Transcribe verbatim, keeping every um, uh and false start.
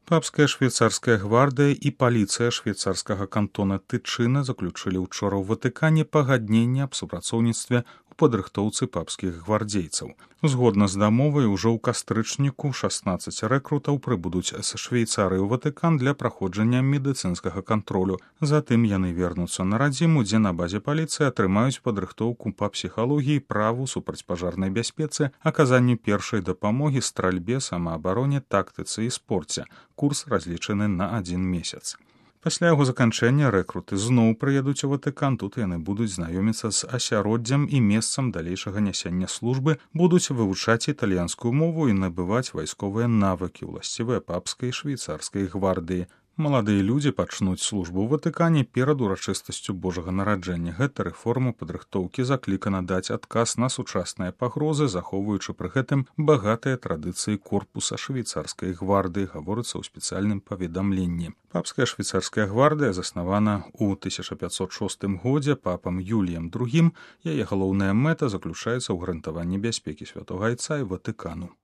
Папская швейцарская гвардыя і паліцыя швейцарскага кантона Тычына заключылі ўчора ў Ватыкане пагадненне аб супрацоўніцтве ў падрыхтоўцы папскіх гвардзейцаў. Згодна з дамовай, ужо ў кастрычніку шаснаццаць рэкрутаў прыбудуць з Швейцарыі ў Ватыкан для праходжання медыцынскага кантролю. Затым яны вернуцца на радзіму, дзе на базе паліцыі атрымаюць падрыхтоўку па псіхалогіі, праву, супрацьпажарнай бяспецы, аказанню першай дапамогі, стральбе, самаабароне, тактыцы і спорце. Курс разлічаны на адзін месяц. Пасля яго заканчэння рэкруты зноў прыедуць у Ватыкан. Тут яны будуць знаёміцца з асяроддзем і месцам далейшага нясення службы, будуць вывучаць італьянскую мову і набываць вайсковыя навыкі, уласцівыя папскай і швейцарскай гвардыі. Маладыя людзі пачнуць службу ў Ватыкане перад урачыстасцю Божага нараджэння. Гэта рэформа падрыхтоўкі заклікана даць адказ на сучасныя пагрозы, захоўваючы пры гэтым багатыя традыцыі корпуса швейцарскай гвардыі, гаворыцца ў спецыяльным паведамленні. Папская швейцарская гвардыя заснавана ў тысяча пятьсот шостым годзе папам Юліем другім. Яе галоўная мэта заключаецца ў гарантаванні бяспекі святога айца і Ватыкану.